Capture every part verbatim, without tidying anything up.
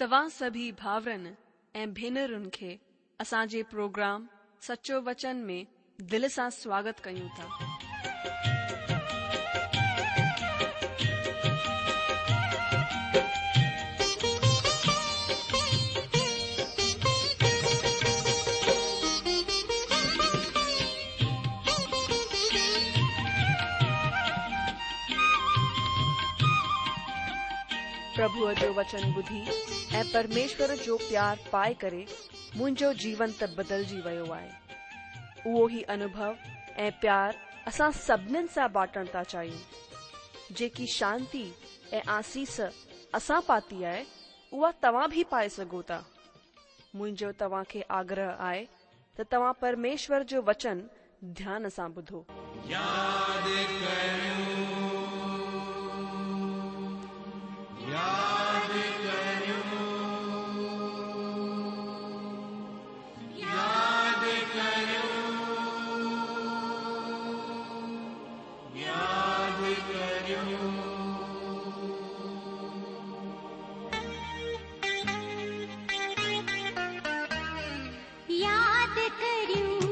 توهان سڀئي ڀائرن ۽ ڀينرن کي اسان جي پروگرام سچو وچن ۾ دل سان سواگت ڪيون ٿا. پرڀوءَ جو وچن ٻڌي ۽ پرميشور جو پيار پائي ڪري منهنجو جيون ته بدلجي ويو آهي. اهو ئي انوڀو ۽ پيار اسان سڀنين سان بانٽڻ ٿا چاهيون. جيڪي شانتي ۽ آسيس اسان پاتي آهي اها توهان به پائي سگهو ٿا. منهنجو توهان کي آگرهه آهي ته توهان پرميشور جو وچن ڌيان سان ٻڌو. ياد ڪريون ياد ڪريون ياد ڪريون ياد ڪريون. ياد ڪريون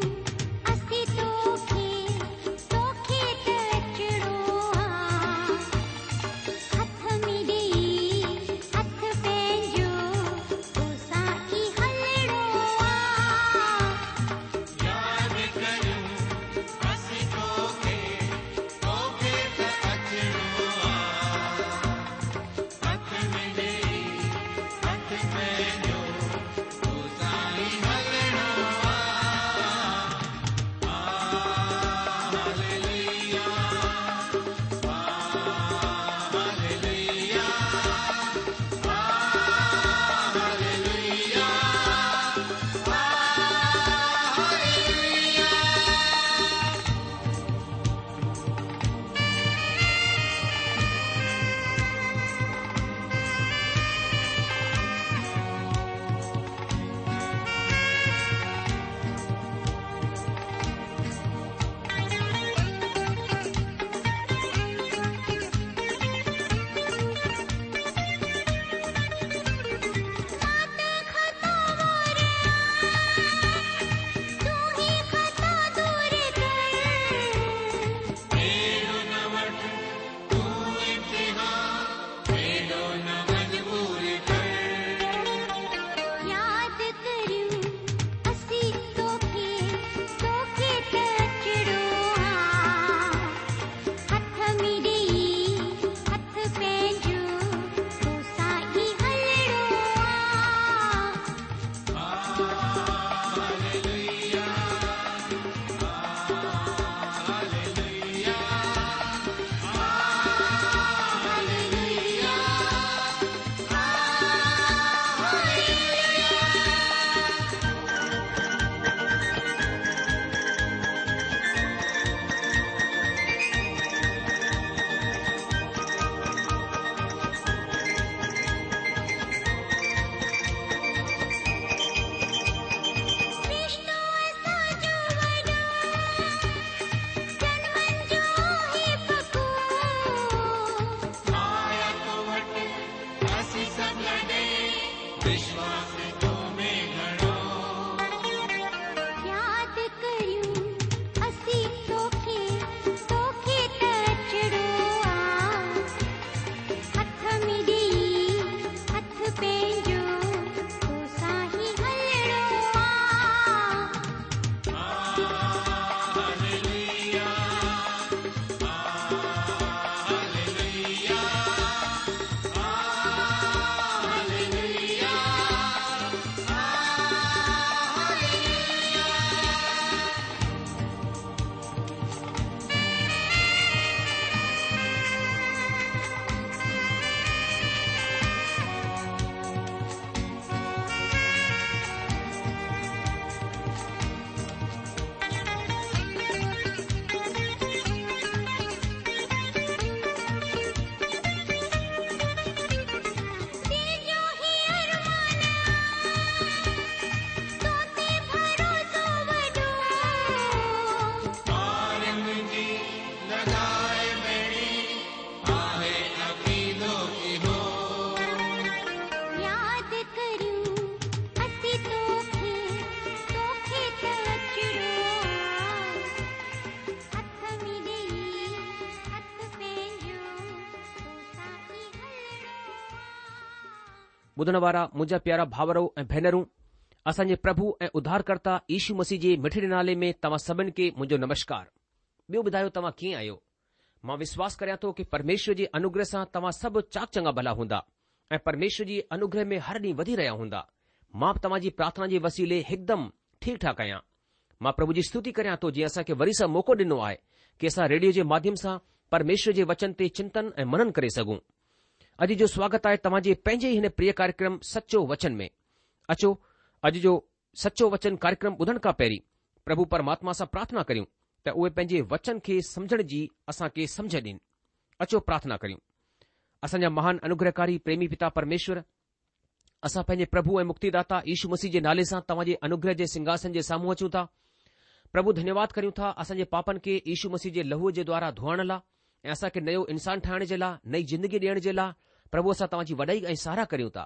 اسين توکي توکي ته اچڻو آ، هٿ ۾ ڏيئي هٿ پنهنجو توسان ئي هلڻو آ. ياد ڪريون اسين توکي توکي ته اچڻو آ، هٿ ۾ ڏيئي هٿ پنهنجو توسان ئي هلڻو آ. Hallelujah hallelujah hallelujah hallelujah. مان ته خطا وار تون ئي خطا دور ڪر. اهڙو نه وٺ تون امتحان، اهڙو نه مجبور ڪر. ياد ڪريون اسين توکي توکي ته اچڻو آ، هٿ ۾ ڏيئي هٿ پنهنجو توسان ئي هلڻو آ. Hallelujah hallelujah hallelujah hallelujah. رشتو اسان جو وڏو جنمن جو آهي پڪو. آيا تو وٽ اسين سڀ لڏي، وشواس تو ۾ گهڻو. ياد ڪريون اسين توکي توکي ته اچڻو آ، هٿ ۾ ڏيئي هٿ پنهنجو توسان ئي هلڻو آ. هاليلويا هاليلويا هاليلويا ٻڌڻ وارا منهنجا پيارا ڀائرو ۽ ڀينرون، اسان جي پرڀو ۽ اڌارڪرتا يشو مسيح جي مٺڙي نالي ۾ توهان سڀن کي منهنجو نمشڪار. ٻيو ٻڌايو توهان ڪيئن آهيو؟ مان وشواس ڪريان ٿو ڪه پرميشور جي انوگره سان توهان سڀ چاڪ چڱا ڀلا هوندا ۽ پرميشور جي انوگره ۾ هر ڏينهن وڌي رهيا هوندا. مان به توهان جي پرارٿنا جي وسيلي هڪدم ٺيڪ ٺاڪ آهيان. مان پرڀو جي استتي ڪريان ٿو جنهن اسان کي وري سان موقعو ڏنو آهي ڪه اسان ريڊيو جي ماڌيم سان پرميشور جي وچن تي چنتن ۽ منن ڪري سگهون. اڄ جو سواگت آهي توهان جي پنهنجي ئي هن پريه ڪاريڪرم سچو وچن ۾. اچو اڄ جو سچو وچن ڪاريڪرم ٻڌڻ کان پهرين پرڀو پرماتما سان پرارٿنا ڪريون ته اهي پنهنجي وچن کي سمجهڻ جي اسان کي سمجهه ڏين. اچو پرارٿنا ڪريون. اسان جا مهان انوگرهڪاري پريمي پتا پرميشور، اسان پنهنجي پرڀو ۽ مڪتيداتا يشو مسيح جي نالي سان توهان جي انوگره جي سنگهاسن جي سامهون اچون ٿا. پرڀو ڌنيواد ڪريون ٿا اسان جي پاپن کي يشو مسيح جي لهوء جي دوارا ڌوئڻ لاء ۽ اسان کي نيو انسان ٺاهڻ جي لاء، نئي زندگي ڏيڻ جي لاء پرڀو اسان توهان جي وڏائي ۽ ساراهه ڪريون ٿا.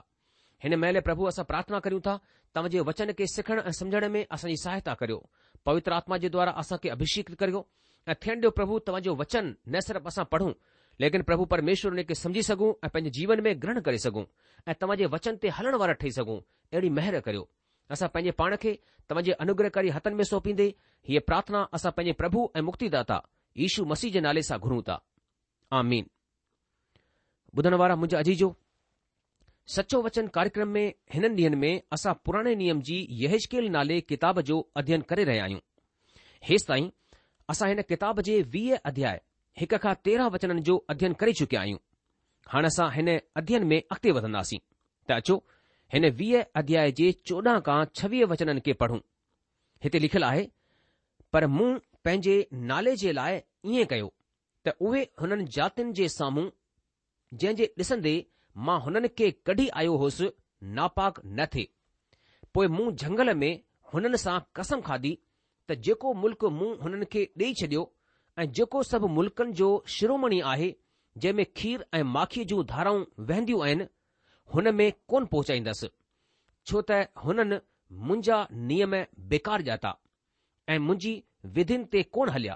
هن مهل پرڀو اسان پرارٿنا ڪريون ٿا توهان جي وچن کي سکڻ ۽ سمجهڻ ۾ اسان جي سهائتا ڪريو. پوتر آتما جي دوارا اسان کي اڀشيڪ ڪريو ۽ ٿيڻ ڏيو پرڀو توهان جو وچن نه صرف اسان پڙهون ليڪن پرڀو پرميشور ان کي سمجهي سگهون ۽ پنهنجي جيون ۾ گرهڻ ڪري سگهون ۽ توهان جي وچن تي هلڻ وارا ٺهي سگهون، اهڙي مهر ڪريو. اسان پنهنجي پاڻ کي توهان جي انوگرهڪاري هٿن ۾ سونپيندي هيء پرارٿنا اسان پنهنجي پرڀو ۽ مڪتيداتا يشو مسيح جي نالي سان گهرون ٿا. آمين. ٻڌڻ وارا منهنجا عزيزو، سچو وچن ڪاريڪرم ۾ هنن ڏينهن ۾ اسان پراڻي نيم جي يحزقيل نالي ڪتاب جو اڌين ڪري رهيا آهيون. هيستائين اسان هن ڪتاب جي ويهه اڌياء هڪ کان تيرهن وچنن جو اڌين ڪري چڪيا آهيون. هاڻ اسان هن اڌين ۾ اڳتي وڌنداسين ته اچو هن ويهه اڌياء جي چوڏهن کان ڇويهه وچنن کي پڙهون. هتي لکيل آهي، پر مون پنهنجي نالي جي لاء ائين ڪيو ته اهي هنن جاتين جي سامهون جنهن جي ڏسندي مان هنن کي ڪڍي آيو هوس ناپاڪ نه ٿئي. پوء مون جهنگل ۾ هنن سان قسم کاڌي ته جيڪو ملڪ مون هنن کي ڏيئي ڇڏيو ۽ جيڪو سڀ ملڪن جو شرومڻي آهي جنهن ۾ کير ۽ ماکيء جون ڌارائون وهنديون آهن، هن ۾ ڪونه پهچائيندس، ڇو ته هنن منهنجا نيم بيڪار ڄاتا ۽ منهنجي وڌين تي ڪونه هليا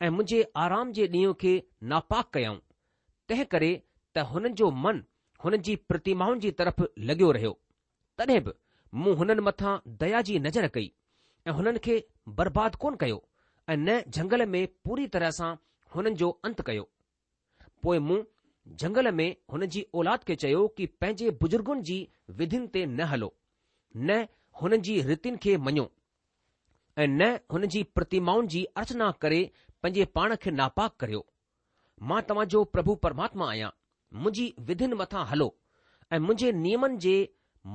۽ منهنجي آرام جي ڏينهن کي ناپاڪ ڪيائون، تنهن ڪري ته هنن جو من هنن جي پرتمائن جي طرف لڳيو رهيو. تڏهن به مون هنن مٿان ديا جي نظر ڪئي ۽ هنن کي برباد ڪونه ڪيو ۽ نه جهنگل ۾ پوري طرح سان هنن جو انت ڪيو. پوء مون جهنگل ۾ هن جي اولاد کي چيو ڪه پنهنجي بزرگن جي وڌين تي نه هلو، نه هنن جي ريتين کي مڃو ۽ نه هن جي پرتمائن جي ارچنا ڪري پنهنجي پاڻ کي ناپاڪ ڪريو. مان توهان جو پرڀو پرماتما آهيان، منهنجي وڌين مٿان هلو ۽ منهنجي نيمن جي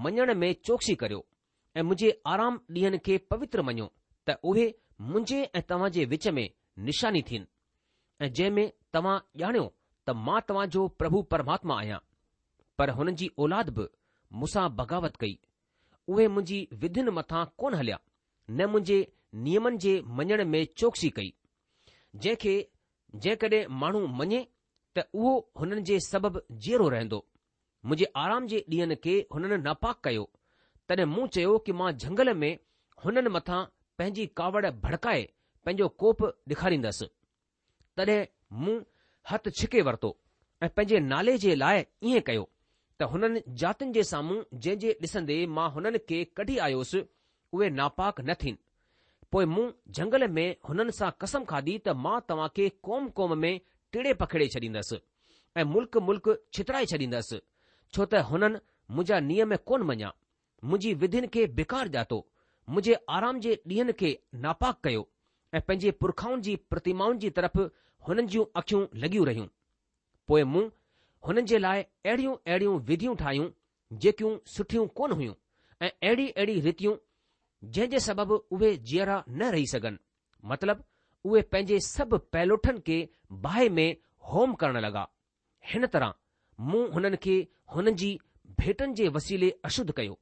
مڃڻ ۾ چوڪسي ڪريو ۽ منهنجي آرام ڏينهن کي پوتر مڃو ته اهي منهنجي ۽ توهان جي وچ ۾ نشاني ٿين ۽ جنهن ۾ توهان ڄاڻيو ته مان توهان جو پرڀو پرماتما آهيان. پر هنن جي اولاد به مون سان بغاوت ڪئي. اهي منهنجي وڌين مٿان ڪونه هليا، نه منهنجي نيمن جي مڃڻ ۾ چوڪسي ڪئي، جنهن کي جيڪڏهن ماڻهو مڃي ته اهو هنن جي سبب جيئرو رهندو. منهنجي آرام جي ڏينهن کي هنن ناپاڪ ڪيو. تڏهن مون چيو ڪه مان جهنگل ۾ هنن مٿان پنهنجي ڪاوڙ ڀڙڪائي پنهنجو ڪوپ ڏيکاريندس. تڏهن مون هٿ ڇڪي ورتو ۽ پنهنجي نالي جي لاء ائين ڪيو ته هنن جاتين جي سامهون جنهن جي ڏسندي مان هنن کي ڪڍي آيوس، اهي ناپاڪ نه ٿين. پوء مون جهنگل ۾ هنن سان قسم کاڌي ته مان توهان کي قوم قوم ۾ ٽيڙي پکيڙي ڇڏيندس ۽ ملڪ ملڪ ڇترائي ڇڏيندس، ڇو ته هنن منهنجا نيم ڪونه مڃيا، منهنجي وڌين کي بيڪار ڄاتو، منهنجي آرام جي ڏينهن کي ناپاڪ ڪيو ۽ پنهنجي پرکائن جي پرتمائن جي طرف هنن جون اکيون لڳيون رهيون. پوء مون هنن جي لاء اهڙيون اهڙيون وڌيون ٺاهيون جيڪيون سٺيون ڪونه هيون ۽ اهڙي اهڙي ريتيون جنهن جي سبب اهي جيئرا نه رهي سگهن، مطلب اهي پنهنجي سڀ پهلوٺن کي باهه ۾ هوم ڪرڻ لڳا. هن طرح مون هنن کي هنن جي ڀيٽن جي وسيلي اشڌ ڪيو،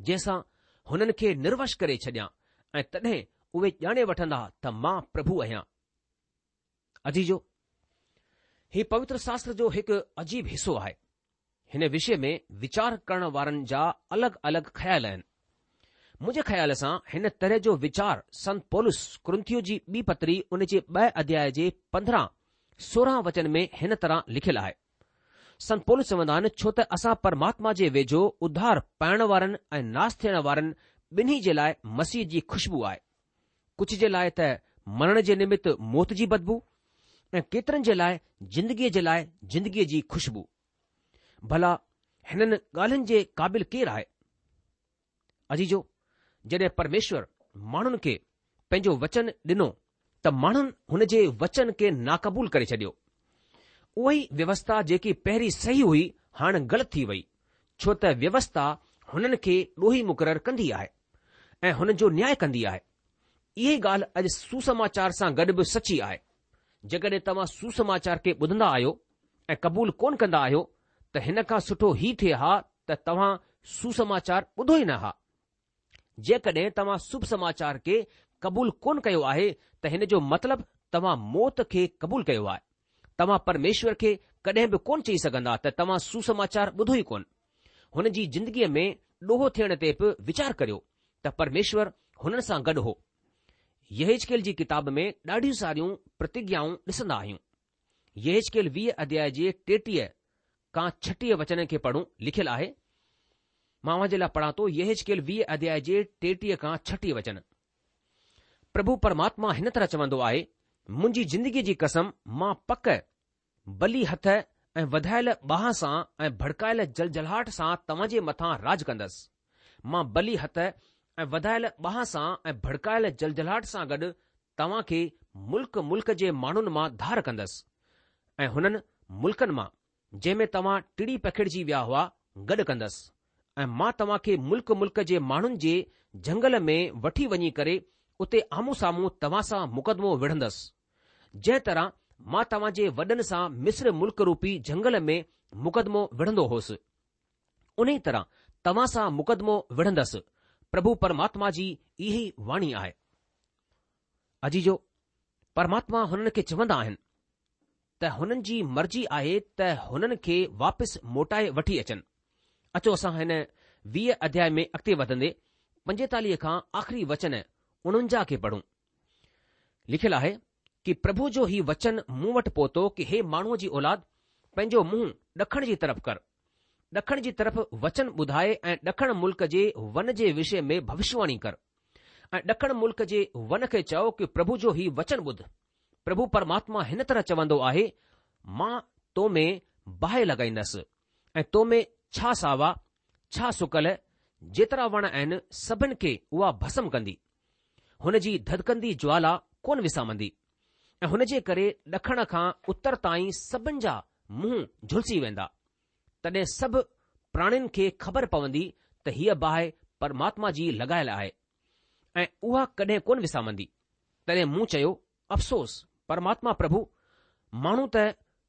جنهن سان هنن کي نروش ڪري ڇڏيان ۽ تڏهن اهي ڄاڻي وٺندا ته مان پرڀو آهيان. عزيزو، هي پوتر شاستر جو هڪ عجيب حصو آهي. هن وشي ۾ ويچار ڪرڻ وارن جا الڳ الڳ خيال آهن. منهنجي خيال سان هن طرح جو ويچار سنت پولس ڪرنٿيو جي ٻي پتري ان جي ٻه اڌياء جي پندرهن سورهن وچن ۾ هن طرح لکيل آهي. سنت پولس چوندا آهن ڇو ته اسان پرماتما جي ويجهو اڌار پائڻ وارن ۽ ناس ٿيڻ وارن ٻنهي جي لاء مسيح جي خوشبو آهي. ڪجهه جي لاء ته مرڻ جي نمت موت جي بدبو ۽ ڪيترن جي لاء زندگيء جي لاء زندگيء جي خوشبو. ڀلا هنن ڳالهين جي قابل ڪير آهي؟ عزيزو، جڏهن پرميشور ماڻهن کي پنهنجو وچن ڏنو ته ماڻهن هن جي وچن کي ناقبول ڪري ڇڏيو. اها ئي ويوسٿا جيڪي پهرين صحيح هئي هاڻ غلط ٿي وئي، ڇو ته ويوسٿا هنن کي ڏوهي مقرر ڪندي آهي ۽ هنن جو نياء ڪندي آهي. اها ئي ڳالهه اڄ سوسماچار سان گڏ به سچي آهي. جيڪڏهن توهان سوسماچار کي ٻڌندا آهيو ۽ قبول ڪونه ڪندا آهيو ته هن کان سٺو هي ٿئي ها ته توهان سوسماچار ٻڌو ئي نه ها. جيڪڏهن توهان شڀ سماچار کي قبول ڪونه ڪيو آهي ته هن جو مطلب توهان موت کي قبول ڪيو آهي. توهان پرميشور کي ڪڏهن به ڪونه چئي سگهندا ته توهان سوسماچار ٻڌو ئي ڪونه. هن جي زندگيء ۾ ڏوهه ٿيڻ تي به ويچار ڪريو ته پرميشور هنن سان گڏ هو. يحيزڪيل جي ڪتاب ۾ ڏاڍيون ساريون پرتگيائون ڏسندا آهيون. يحيزڪيل ويهه اڌياء جي ٽيٽيهه کان ڇٽيهه وچن کي پڙهون لکيل آهي. مان اوهان جي لاء پڙهان ٿو يحيزڪيل ويهه اڌياء جي ٽيٽيهه کان ڇٽيهه وچن. پرڀو پرماتما هن طرح چوندو آهي، منهنجي زندگيء جي قسم مان پڪ بلي هٿ ۽ وڌايل ٻانهن سان ۽ ڀڙڪايل جلجلاهٽ سان توهان جي مٿان راڄ ڪندس. مان بلي هٿ ۽ وڌايل ٻانهن سان ۽ ڀڙڪايل جلجلاهٽ سان گڏ توهان کي ملڪ ملڪ جي ماڻهن مان ڌار ڪندس ۽ هنن ملڪن مان جنهن ۾ توهان ٽڙي پکڙجي ويا هئا گڏ ڪندس ۽ مان توهان کي ملڪ ملڪ جي ماڻهن جي جهنگل ۾ وٺي وڃي ڪري اتي آمهون سامهون توهان سان مقدمو وڙهندس. جنهن طرح مان توهان جي وڏن سان مصر ملڪ روپي جهنگل ۾ مقدمو وڙهندو هوس، انهيء طرح توهان سان مقدمو وڙهندس، پرڀو پرماتما جي اها ئي واڻي آهي. عزيزو، پرماتما هنن کي چوندا آهن ته هنن جي مرضي آهي ته هنن کي واپس موٽائي وٺي اچن. اچو اسان هن ويهه اڌياء ۾ اڳتي وڌندي پنجيتاليهه کان آخري وچن اڻونجاهه کي پڙهون. لکيل آهي ڪي پرڀو جو هي وچن مون وٽ پهتو ڪي هي ماڻهوء جي اولاد پنهنجو منهن ڏکڻ جي طرف ڪر. ڏکڻ جي طرف وچن ٻڌائي ۽ ڏکڻ ملڪ جي ون جي وشي ۾ ڀوشواڻي ڪر. ۽ ڏکڻ ملڪ جي ون کي چئو ڪي پرڀو جو هي وچن ٻڌ. پرڀو پرماتما هن طرح چوندو آهي، مان تو ۾ باهه لڳائيندس ۽ تو ۾ ڇا ساوا، ڇا سڪل، جيترا وڻ آهن سڀن کي اها ڀسم ڪندي. هن جي ڌڌڪندي جوالا ڪونه وسامندي ۽ هن جي ڪري ڏکڻ کان اتر تائين سڀن جا منهن جهلسي ويندا. تڏهن سڀ پراڻين کي خبر پوندي ته هيء باهه پرماتما جي لڳايل آهي ۽ اها ڪڏهن ڪونه وسامندي. تڏهن مون چيو، افسوس، پرماتما پرڀو، ماڻهو ته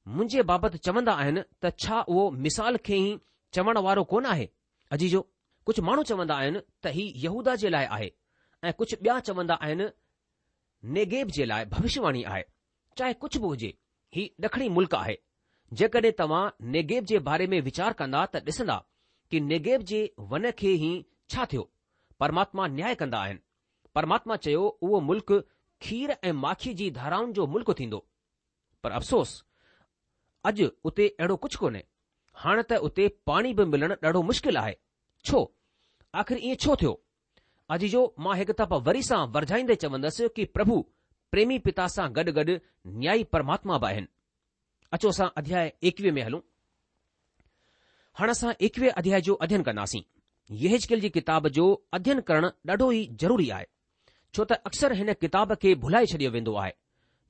منهنجي بابت چوندا آهن ته ڇا اهو مثال کي ئي چوڻ وارو ڪونه آهي؟ عزيزو، ڪجهه ماڻهو چوندا آهن ته هي يهوداه جي لاء آهي ۽ ڪجهه ٻيا چوندا آهن نيگيب جي لاء ڀوشواڻي آهي. چاهي ڪجهه به هجي، هي ڏکڻي ملڪ آهي. جيڪڏهن توهان نيگيب جي باري ۾ ويچار ڪندا ته ڏسندا ڪي نيگيب جي ون کي هي ڇا ٿيو. پرماتما نياء ڪندا آهن. پرماتما چيو اهو ملڪ کير ۽ ماکي جي ڌارائن جو ملڪ ٿيندو. پر افسوس اڄ اتي اهڙو ڪجهه ڪونهي. هاڻ ته اتي پاڻي به ملڻ ڏاڍو مشڪل آهي. ڇو؟ آخر ائين ڇو ٿيو؟ عزيزو مان هڪ دفعا وري سان ورجائيندي چوندس ڪي پرڀو پريمي پتا سان گڏ گڏ نيائي پرماتما به آهن. اچو اسان اڌياء ايڪويهه ۾ هلون. هاڻ اسان ايڪويهه اڌياء جو اڌين ڪنداسين. يحزقيل جي ڪتاب جو اڌين ڪرڻ ڏاڍو ئي ضروري آهي. ڇو ته اڪثر هن ڪتاب کي ڀلائي ڇڏيو ويندو آهي.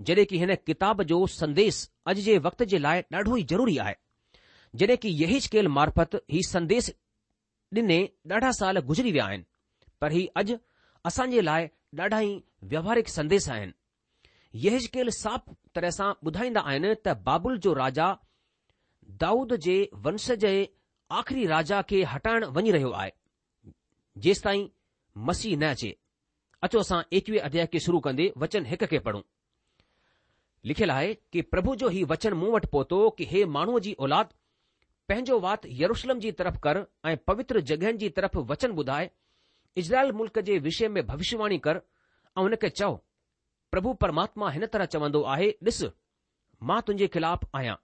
جڏهن ڪي هن ڪتاب جو سنديش اڄ جي وقت جي لاء ڏاڍو ئي ضروري آهي. جڏهن ڪي يحزقيل معرفت هي سنديش ڏني ڏاڍا سال گذري ويا آهن، پر هي اڄ اسان جي لاء ڏاڍا ئي ويوهارڪ سنديش آهن. يحزقيل صاف طرح سان ٻڌائيندا آهن ته بابل جو راجا دائود جي ونش جي آخري راجا کي هٽائڻ وڃي رهيو آهي، جيستائين مسيح نه اچي. اچو اسان ايڪويهه اڌياء کي شروع ڪندي وچن هڪ کي پڙهون. لکيل آهي ڪي پرڀو جو هي وچن مون وٽ پهتو ڪي هي ماڻهوء جي اولاد، پنهنجو وات يروشلم جي طرف ڪر ۽ پوتر جڳهين جي طرف وچن ٻڌاء، اسرائيل ملڪ جي وشي ۾ ڀوشواڻي ڪر ۽ هن کي چئو، پرڀو پرماتما هن طرح چوندو آهي، ڏس، مان تنهنجي خلاف آهيان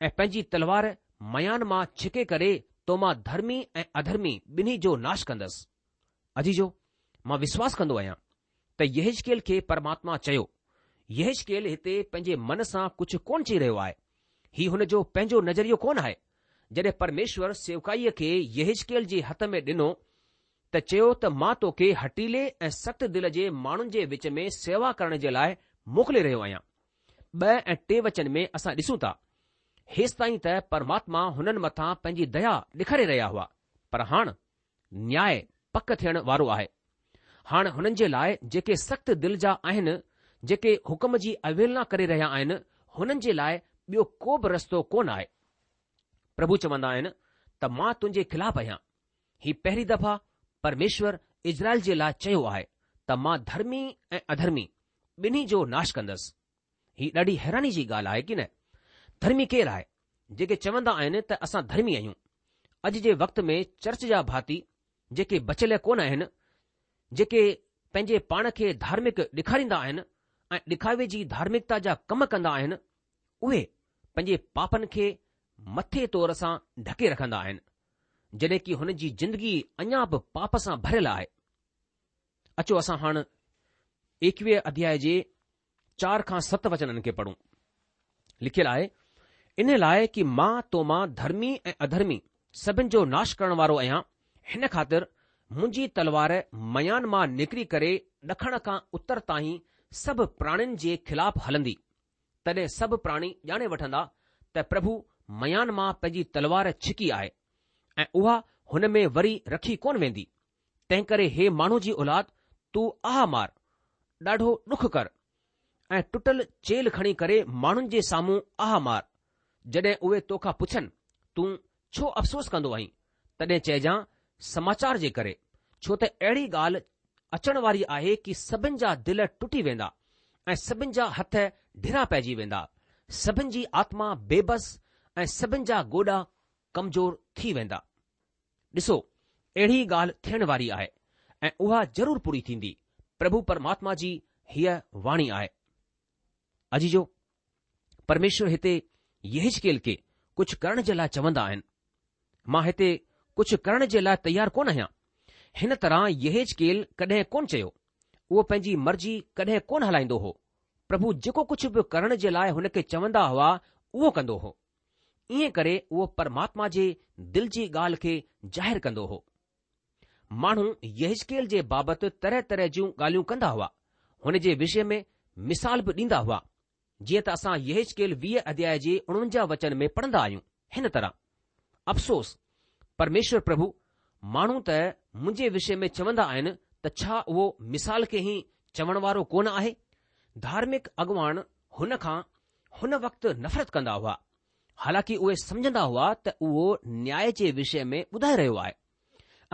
۽ پنهنجي تلوار ميان مان ڇڪي ڪري تو مان ڌرمي ۽ اڌرمي ٻنهي جو ناش ڪندس. عزيزو، مان وشواس ڪندو آهيان ته يحزقيل کي پرماتما چيو. يحزقيل هتي پنهنجي من سان ڪجهه ڪونه چئي رهيو آهي. هي هن جو پنهنجو نظريو ڪونه آهي. جڏهن پرميشور سيوڪائيء کي يحزقيل جي هٿ ۾ ڏنو ته چيو ته مان توکي هٺيلي ۽ سخت دل جي ماڻهن جي وچ ۾ سيوا ڪرڻ جي لاء موڪلي رهيو آهيان. ٻه ۽ ٽي وچن ۾ اسان ڏسون ٿا، هيستائين ته پرماتما هنن مٿان پنهنجي ديا ڏيکاري رهيا هئا، پر هاڻ نياء پڪ ٿيڻ وارو آهي. هاڻ هنن جي لاء جيڪي سخت دل جا آهن، جيڪي حڪم جي اوهيلنا ڪري رهيا آهن، هنن جي لاء ٻيو ڪو به رستو ڪونه آهي. پرڀو چوندا آهن ته مان تنهنجي خلاف آهيان. هي پهرين دفعا پرميشور اسرائيل جي لاء چيو آهي ته مان ڌرمي ۽ اڌرمي ٻنهي جو ناش ڪندس. هي ڏاڍي حيراني جي ڳالهه آهي ڪي نه؟ ڌرمي ڪير آهي؟ جيڪي چوندا آهن ته اسان ڌرمي آهيون. اڄ جي وقت ۾ چرچ جا ڀاتي جيڪي بچيل ڪونه آهن، جيڪي پنهنجي پاڻ کي ڌارمڪ ڏيکاريندا آهن ۽ ڏکاوي جي ڌارمڪتا جا ڪم ڪندا آهن، اهي پنهنجي پاپن کي مٿي طور سان ڍڪي رکندا آهن، جڏهن ڪي هن جي زندگي اڃا به پاپ سان ڀريل آهي. اچو اسان هاڻ ايڪويهه اڌياء جي چار کان ست وچنن کي پڙهون. لکيل آهي، ان لاء ڪي مان تو مان ڌرمي ۽ اڌرمي سڀن جو ناش ڪرڻ وارو آهيان، هن خاطر منهنجي تلوار ميان مان نڪري ڪري ڏکڻ کان اتر تائين سڀ پراڻين جي خلاف هلندي. تڏهن سڀ پراڻي ڄاڻي وٺندا ته پرڀو ميان مان پنهنجي تلوار ڇڪي آهي ۽ اها هن ۾ وري رکي ڪونه ويندي. تنهنڪري هي ماڻهو جي اولاد، تون آهه مار، ڏاڍو ڏک ڪر ۽ ٽٽل چيلهه کڻي ڪري ماڻهن جي سامهون آهه مار. جڏهن اهي توکان پڇن، تون ڇو افسوس ڪندو آهين؟ تڏهن چئجان، سماچار جي ڪري، ڇو ته اهڙي ڳالهه اچڻ واري آهي ڪي سڀن جا دل ٽٽي ويندا ۽ سڀن جا هٿ ڍرا پئجي ويندا، سڀن جي آتما بيبس ۽ سڀن جا گوڏا ڪمزور ٿي ويندا. ڏسو، اهڙي ڳالهه ٿيڻ واري آهي ۽ اها ضرور پوري ٿيندي، پرڀو پرماتما جي هيء واڻي آهي. عزيزو، پرميشور هتي يحزقيل کي ڪجهه ڪرڻ جي لاء چوندا آهن. مان هتي ڪجهه ڪرڻ جي لاء تيار ڪونه آهيان. هن طرح يحزقيل ڪڏهن ڪونه چيو. اهو پنهنجي مرضي ڪڏهن ڪونه هلائيندو هو. پرڀو جيڪو ڪجهه به ڪرڻ جي لاء هن کي چوندا هئا، اهو ڪندو هو. ائين ڪري اهو پرماتما جي دل جي ڳالهه کي ظاهر ڪندو هو. ماڻهو يحزقيل جي بابت طرح طرح جون ڳالهيون ڪندا هئا. هن جي وشي ۾ مثال به ڏيندا هئا. جيئن ته اسان يحزقيل ويهه اڌياء جي اڻونجاهه وچن ۾ پڙهندا آهيون، هن طرح، افسوس، پرميشور پرڀو، ماڻهو ته منهنجي وشي ۾ چوندا آهن ته ڇا اهو مثال کي ئي چوڻ وارو ڪونه آهي؟ ڌارمڪ اڳواڻ هن کان هن وقت نفرت ڪندا هئا، حالانڪه اهي سمجهندا هئا ته اهو نياء جي وشي ۾ ٻڌائي رهيو آهي.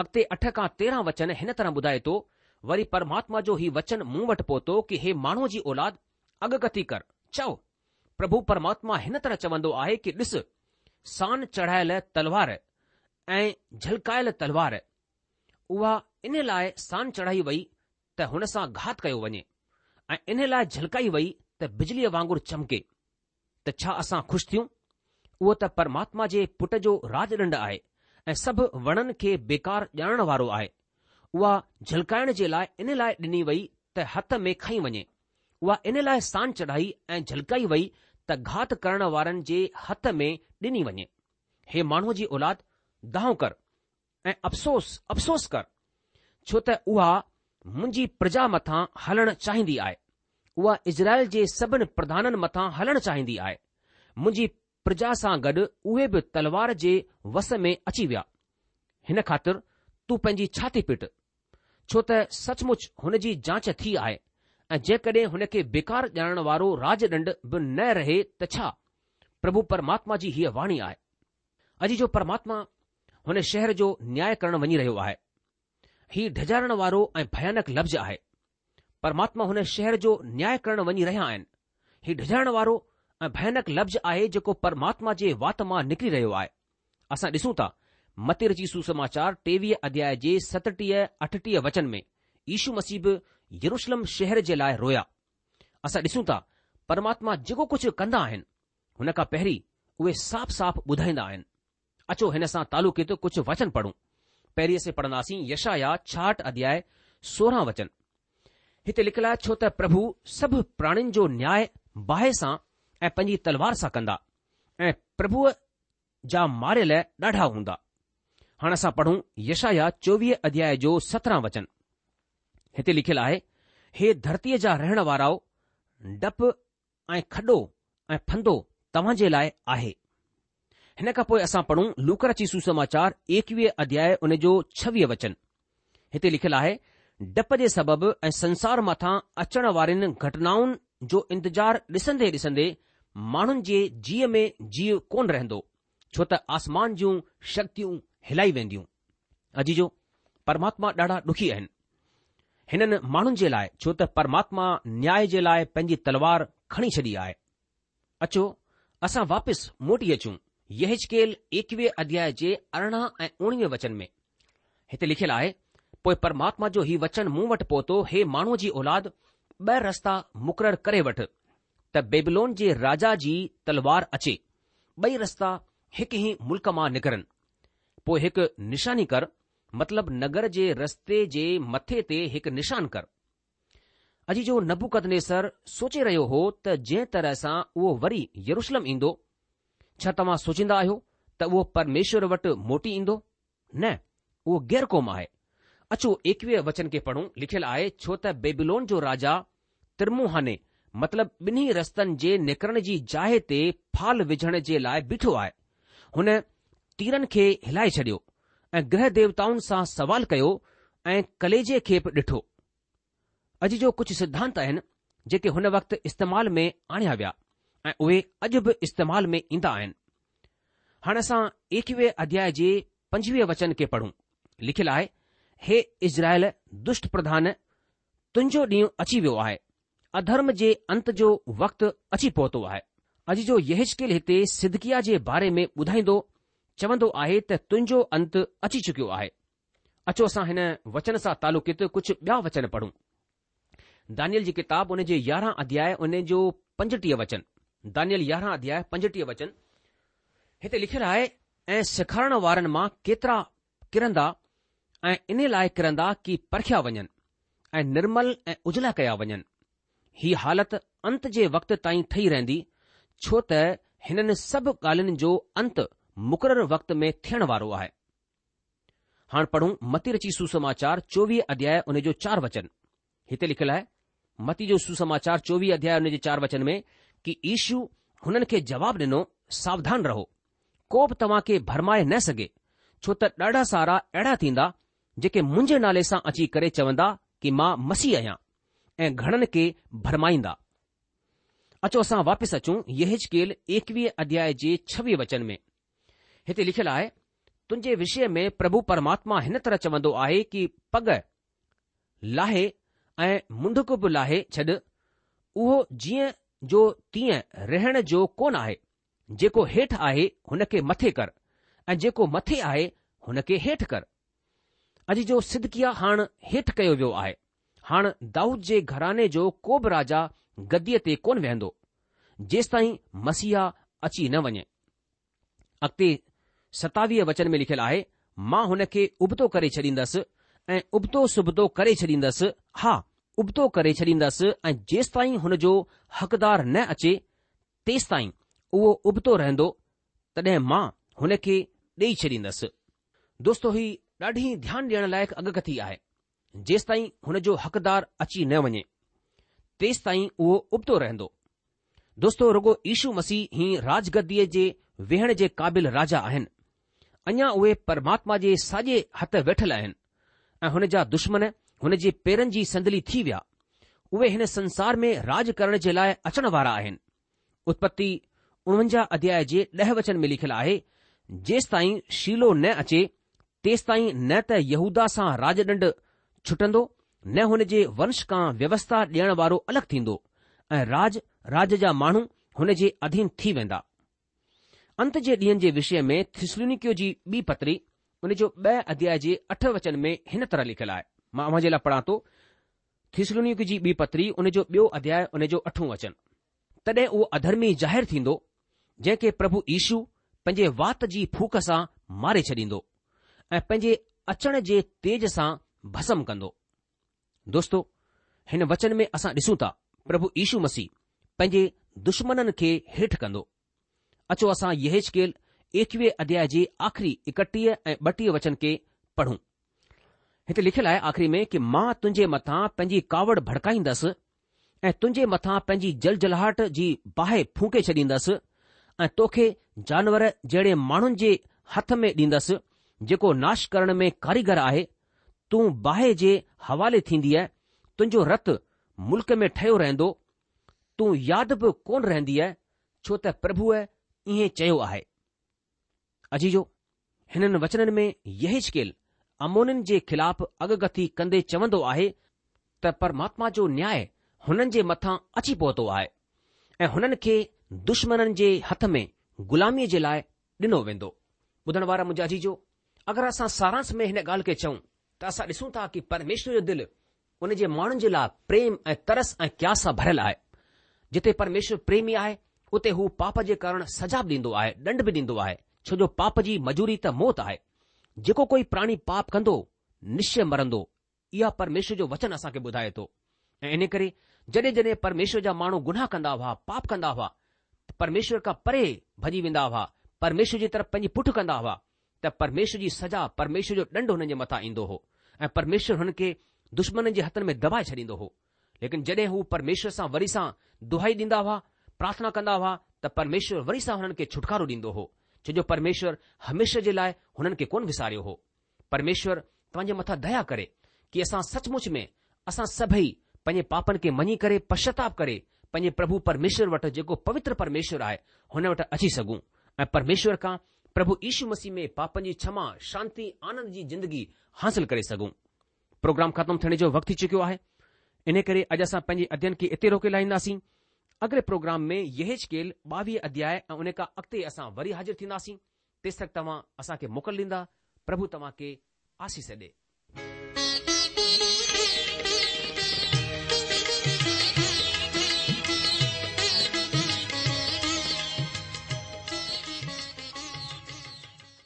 اڳتي اٺ کان تيرهن وچن هن طرح ٻڌائي ٿو، وري پرماتما جو هي وچن مون وٽ پهتو ڪي هي ماڻهوء جي اولاد، اڳڪٿي ڪر، چئو، پرڀو پرماتما هن طرح چوندو آهي ڪي ڏس، سان چڙهايل تلوار ۽ جهلڪايل تلوار، اها ان لاء سان چڙهائي وئي ته هن سان گهات ڪيو وڃي ۽ ان لاء جهلڪائي وئي ته بجليء وانگر چمڪي. ته ڇا اسان خوش ٿيون؟ اهو ته پرماتما جي پٽ جو راجڏنڊ آهي ۽ سڀ وڻن کي بيڪار ڄاڻڻ وارو آهي. اها جهلڪائڻ جي لاء ان لاء ڏني وئي ته هٿ ۾ کنئي وڃي. اها ان لاء سان چڙهائي ۽ جهلڪائي وئي ته گهات ڪرڻ وارن جي هٿ ۾ ڏني وڃي. هي ماڻهوء جي اولاد، دانهون ڪر ۽ افسوس، افسوس ڪر، ڇو ته اها منهنجي پرجا مٿان هلڻ چاهيندي آهي. اها اسرائيل جي سڀن پرڌانن مٿان هلڻ چاهيندي آهي. منهنجي پرجا سان گڏ اهي به تلوار جي وس ۾ اچي ويا. هن خاطر تون پنهنجي ڇاتي پٽ، ڇو ته سچ مچ هن جي جانچ ٿي آهي ۽ جيڪڏهن هن کي بيڪار ڄاڻڻ وارو راجڏنڊ به نه رهي ته ڇا؟ پرڀو پرماتما جي هيء واڻي آهي. عزيزو پرماتما هن شهر جو نياء ڪرڻ وڃي رهيو آهي. هي ڊڄارڻ وارو ۽ ڀيانڪ لفظ آهي. پرماتما هن شهر جو نياء ڪرڻ وڃي رهيا آهن. هي ڊڄارڻ وارو ۽ ڀيانڪ لفظ آهي جيڪو پرماتما جي وات مان نڪري رهيو آهي. اسان ڏسون ٿا متي رچي سوسماچار ٽيويهه اڌياء جي ستٽيهه اٺٽيهه وچن ۾ يشو مسيح به يروشلم شهر جي لاء رويا. اسان ڏسون ٿا پرماتما جيڪو ڪجهه ڪندا آهن هن کان پهرين اهي صاف صاف ٻڌائيندا آهن. اچو هن سان تعلقيت ڪجهه وچن پڙهون. پهرين اسين پڙهنداسين يشعيا ڇاهٺ اڌياء سورهن وچن. هتي لکيل آهي ڇو ته پرڀو سڀ پراڻين جو نياء باهه سان ۽ پنهنجي تلوار سان ڪندا ۽ پرڀوء جا ماريل ڏاڍا هوندا. هاڻ اسان پڙهون يشعيا چوويهه اڌياء جو سترهن وچن. هتي لکيل آهي، هي ڌرتيء جا رهڻ وارائو، ڊپ ۽ کڏو ۽ ڦندو توهان جي لاء آهي. هن کان پوء اسان پڙهون لوڪا رچي سوسماچار ايڪويهه اڌياء ان جو ڇويهه وچن. هتي لکيل آهي، ڊپ جي سبب ۽ سنسار مٿان اچڻ وارين گهٽنائن جو انتظار ڏسندي ڏسندي ماڻهن جي جيء ۾ جيء ڪونه رهندو، ڇو ته آسمان جون شڪتيون هلائي وينديون. عزيزو، پرماتما ڏاڍا ڏکي آهن. هنن ماڻهن جي لاء، ڇو ته پرماتما نياء جي لاء پنهنجي تلوار کڻي ڇڏي آهي. اچو، اسان واپس موٽي اچون يحزقيل ايڪويهه اڌياء جي ارڙهن ۽ اوڻويهه وچن ۾. هتي لکيل آهي، پوء پرماتما جو هي وچن مون وٽ پهتو، هي ماڻهوء جي اولاد، ٻه رستا مقرر ڪري وٺ، ته بيبلون جي راجا جي تلوار اچي، ٻئي رستا هڪ ئي ملڪ مان نڪرن. پوء هڪ نشاني ڪر، مطلب نگر جي رستي جي مٿي تي هڪ نشان ڪر. عزيزو نبوڪدنيسر سوچي رهيو هو ته جنهن طرح سان اهو وري يروشلم ايندو، ڇا توهان سوچيندا آهيو ته اهو پرميشور وٽ موٽي ايندو؟ نه، اهو غير قوم آهي. اچو ايڪويهه وچن کي پڙهون، لکيل آهي، ڇو ته بيبيلون جو راجا ترموهاني مطلب ٻنهي رستن جي نڪرڻ جي جاء تي فال وجهڻ جي لاء بيٺو آهي. هن تيرن کي هلائي ڇڏيو ۽ گرهه ديوتائن سان سوال ڪيو ۽ ڪليجي کي به ڏٺو. عزيزو ڪجهه سڌانت آهن جيڪي هن وقت استعمال ۾ آڻيا ويا ۽ اهي اڄ به استعمال ۾ ايندا آهن. هاڻي اسان ايڪويهه اڌياء جي پنجويهه وچن کي پڙهون. لکيل آهي، هي اسرائيل دشٽ پرڌان، تنهنجو ڏينهن اچي ويو آهي، اڌرم جي انت جو وقت اچي پهتو آهي. عزيزو يحزقيل هتي صدقياه جي باري ۾ ٻڌائيندو چوندو آهي ته تنهنجو انت اچي چڪيو آهي. اچو اسان هن وچن سان تعلقيت ڪجهه ٻيا وچن پڙهون. دانيل جي ڪتاب ان جي يارهن اڌياء ان جو پنجٽيهه وچن. دانيل يارهن اڌياء پنجٽيهه وچن هتي لکيل آهي ۽ سيکارڻ وارن مان ڪيترا ڪرندا ۽ ان لاء ڪرندا ڪي پرکيا وڃن ۽ نرمل ۽ اجلا ڪيا وڃن. هي حالت انت جي وقت تائين ٺهي رهندي ڇو ته هنن سڀ ڳالهين جو انت مقرر وقت ۾ ٿيڻ وارو آهي. هاڻ پڙهون متي رچي سوسماچار چوويهه اڌياء ان جو چار وچن. هتي لکيل آهي، متي جو سوسماچار چوويهه اڌياء ان جي چار وچن ۾ ڪي يشو هنن کي جواب ڏنو، ساوڌان رهو، ڪو به توهان کي ڀرمائي نه سگهي، ڇو ته ڏاڍا سارا اهڙا ٿيندا جيڪي منهنجي نالي سان اچي ڪري چوندا ڪي مان مسيح آهيان ۽ گهڻن کي ڀرمائيندا. اچو اسان واپس اچون يحزقيل ايڪويهه اڌياء جي ڇويهه وچن ۾. هتي لکيل آهي، تنهنجي وشي ۾ پرڀو پرماتما هن طرح چوندو آهي ڪي پڳ لاهي ۽ منڍڪ به لاهي ڇڏ، اهو جيئن جو تيئن رهڻ جو ڪونه آهي، جيڪو هيٺ آهي هن کي مٿي ڪر ۽ جيڪو مٿي آهي هن کي هيٺ ڪر. عزيزو صدقياه هاڻ هيٺ ڪيو ويو آهي. هاڻ دائود جي گهراڻي جو ڪو به راجا گديء تي ڪونه ويهندو، جيستائين مسيحا اچي نه وڃي. اڳتي ستاويهه وچن ۾ لکيل آهي، مان هن کي ابتو ڪري ڇڏيندس ۽ ابتو سبتو ڪري ڇڏيندس، ها، ابتو ڪري ڇڏيندس ۽ جيستائين هن جو حقدار نه اچي، تيستائين اهو ابتو رهندو، تڏهن مان هن کي ڏيئي ڇڏيندس. دوستو هي ڏاڍي ڌيان ڏيڻ لائق اڳڪٿي آهي. جيستائين هن جو حقدار اچي نه وڃي، تيستائين اهو ابتو رهندو. دوستو رڳو يشو مسيح ئي راجگديء جي ويهڻ جي قابل راجا آهن. اڃا اهي پرماتما جي ساڄي هٿ ويٺل آهن ۽ هن جا دشمن هن جي پيرن جي صندلي ٿي ويا. اهي هن سنسار ۾ راڄ ڪرڻ جي لاء اچڻ وارا آهن. اتپتي اڻونجاهه اڌياء جي ڏهه وچن ۾ لکيل آهي، جيستائين شيلو نه اچي، تيستائين نه ته يهوداه سان راجڏنڊ ڇٽندو، نه هن جي ونش کان ويوسٿا ڏيڻ وارو الڳ ٿيندو ۽ راڄ راڄ جا ماڻهو هن جي اڌين ٿي ويندا. انت جي ڏينهن جي وشي ۾ ٿيسلونيڪيو جي ٻي پتري ان جو ٻه اڌياء جي اٺ وچن ۾ هن طرح لکيل آهي. مان اوهان جي لاء پڙهان ٿو ٿيسلونيڪيو جي ٻي پتري ان جو ٻيو اڌياء ان جو اٺون وچن. تڏهن اهو اڌرمي ظاهر ٿيندو، جنهن کي پرڀو يشو پنهنجي وات جي ڦوڪ سان ماري ڇڏيندو ۽ پنهنجي اچڻ جي تيج سان ڀسم ڪندو. دوستو، هن وچن ۾ اسان ڏسون ٿا پرڀو يشو مسيح پنهنجي دشمنن کي هيٺ ڪندو. اچو اسان يحزقيل ايڪويهه اڌياء جي آخري ايڪٽيهه ۽ ٻٽيهه وچن کي پڙهون. هتي لکيل آهي آخري ۾ ڪه مان تنهنجي مٿان پنهنجي ڪاوڙ ڀڙڪائيندس ۽ تنهنجي مٿان پنهنجي جلجلاهٽ جي باهه ڦونڪي ڇڏيندس ۽ توکي جانور جهڙي ماڻهن جي هٿ ۾ ڏيندس جيڪو ناش ڪرڻ ۾ ڪاريگر آهي. تون باهه جي حوالي ٿيندينء، تنهنجو رت ملڪ ۾ ٺهيو رهندو، تون ياد به ڪونه رهندينء، ڇو ته پرڀوء ائين چيو آهي. عزيزو، هنن وچنن ۾ يحزقيل عمونين جي خلاف اڳڪٿي ڪندي چوندو آهي ته پرماتما جو نياء هنن جي مٿان اچي پهتو آهي ۽ هنن کي دشمنن جي هٿ ۾ غلاميء جي لاء ڏنو ويندو. ٻڌڻ وارا منهنجا عزيزو، اگر اسان سارانش ۾ هن ڳالهه کي چئون ته اسان ڏسون ٿا ڪه پرميشور جو دل ان جي ماڻهن جي لاء پريم ۽ ترس ۽ قياس سان ڀريل آهي. جتي پرميشور پريمي آهي، اتي هو پاپ جي ڪارڻ سزا به ڏيندو آهي، ڏنڊ به ڏيندو آهي، ڇو جو پاپ جي مزوري ته موت آهي. جيڪو ڪوئي پراڻي پاپ ڪندو، نشچي مرندو. اها پرميشور جو وچن اسان کي ٻڌائي ٿو. ۽ ان ڪري جڏهن جڏهن پرميشور جا ماڻهو گناهه ڪندا هئا، پاپ ڪندا هئا، ته پرميشور کان پري ڀڄي ويندا هئا، پرميشور جي طرف پنهنجي پٺ ڪندا هئا، ته پرميشور جي سزا، پرميشور جو ڏنڊ هنن جي مٿان ايندو هو ۽ پرميشور هنن کي دشمنن جي هٿن ۾ دٻائي ڇڏيندو هو. ليڪن جڏهن هو پرميشور سان وري سان دهائي ڏيندا هئا، پرارٿنا ڪندا هئا، ته پرميشور وري سان هنن کي ڇوٽڪارو ڏيندو هو، ڇو جو پرميشور هميشه جي لاء هنن کي ڪونه وساريو هو. پرميشور توهان جي مٿان ديا ڪري ڪه اسان سچ مچ ۾ اسان سڀئي پنهنجي پاپن کي مڃي ڪري پشچاتاپ ڪري پنهنجي پرڀو پرميشور وٽ جيڪو پوتر پرميشور آهي هن وٽ اچي سگهون ۽ پرميشور کان پرڀو يشو مسيح ۾ پاپن جي ڇما، شانتي، آنند جي زندگي حاصل ڪري سگهون. پروگرام ختم ٿيڻ جو وقت ٿي چڪيو آهي، ان ڪري اڄ اسان پنهنجي اڌين کي اتي روڪي لاهينداسين. اڳلي پروگرام ۾ يحزقيل ٻاويهه اڌياء ۽ ان کان اڳتي اسان وري حاضر ٿينداسين. تيستڪ توهان اسان کي موڪل ڏيندا. پرڀو توهان کي آشيش ڏي.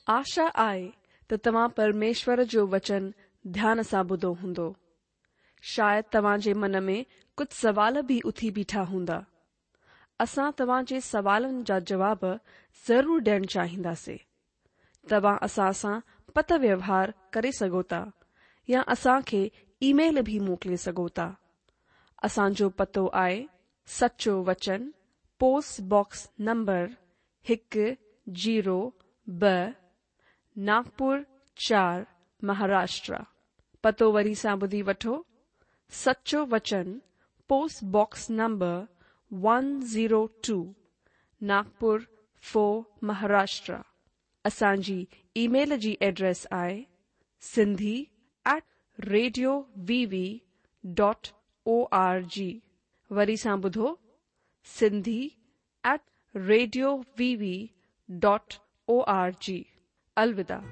آشا آهي ته توهان پرميشور جو وچن ڌيان سان ٻڌو هوندو. شايد توهان جي من ۾ ڪجهه سوال به اٿي بيٺا هوندا. اسان توهان جي سوالن جا جواب ضرور ڏيڻ چاهينداسين. توهان اسان سان پتر ويوهار ڪري سگهو ٿا يا اسان کي اي ميل به موڪلي سگهو ٿا. اسان جو پتو آهي سچو وچن پوسٽ باڪس نمبر هڪ زيرو ٻه ناگپور چار مهاراشٽر. پتو وري سان ٻڌي وٺو، سچو وچن post box number one zero two Nagpur four Maharashtra. اسان جي اي ميل جي ايڊريس آهي Sindhi at radio V V dot O R G. وري سان ٻڌو Sindhi at radio V V dot O R G. الوداع.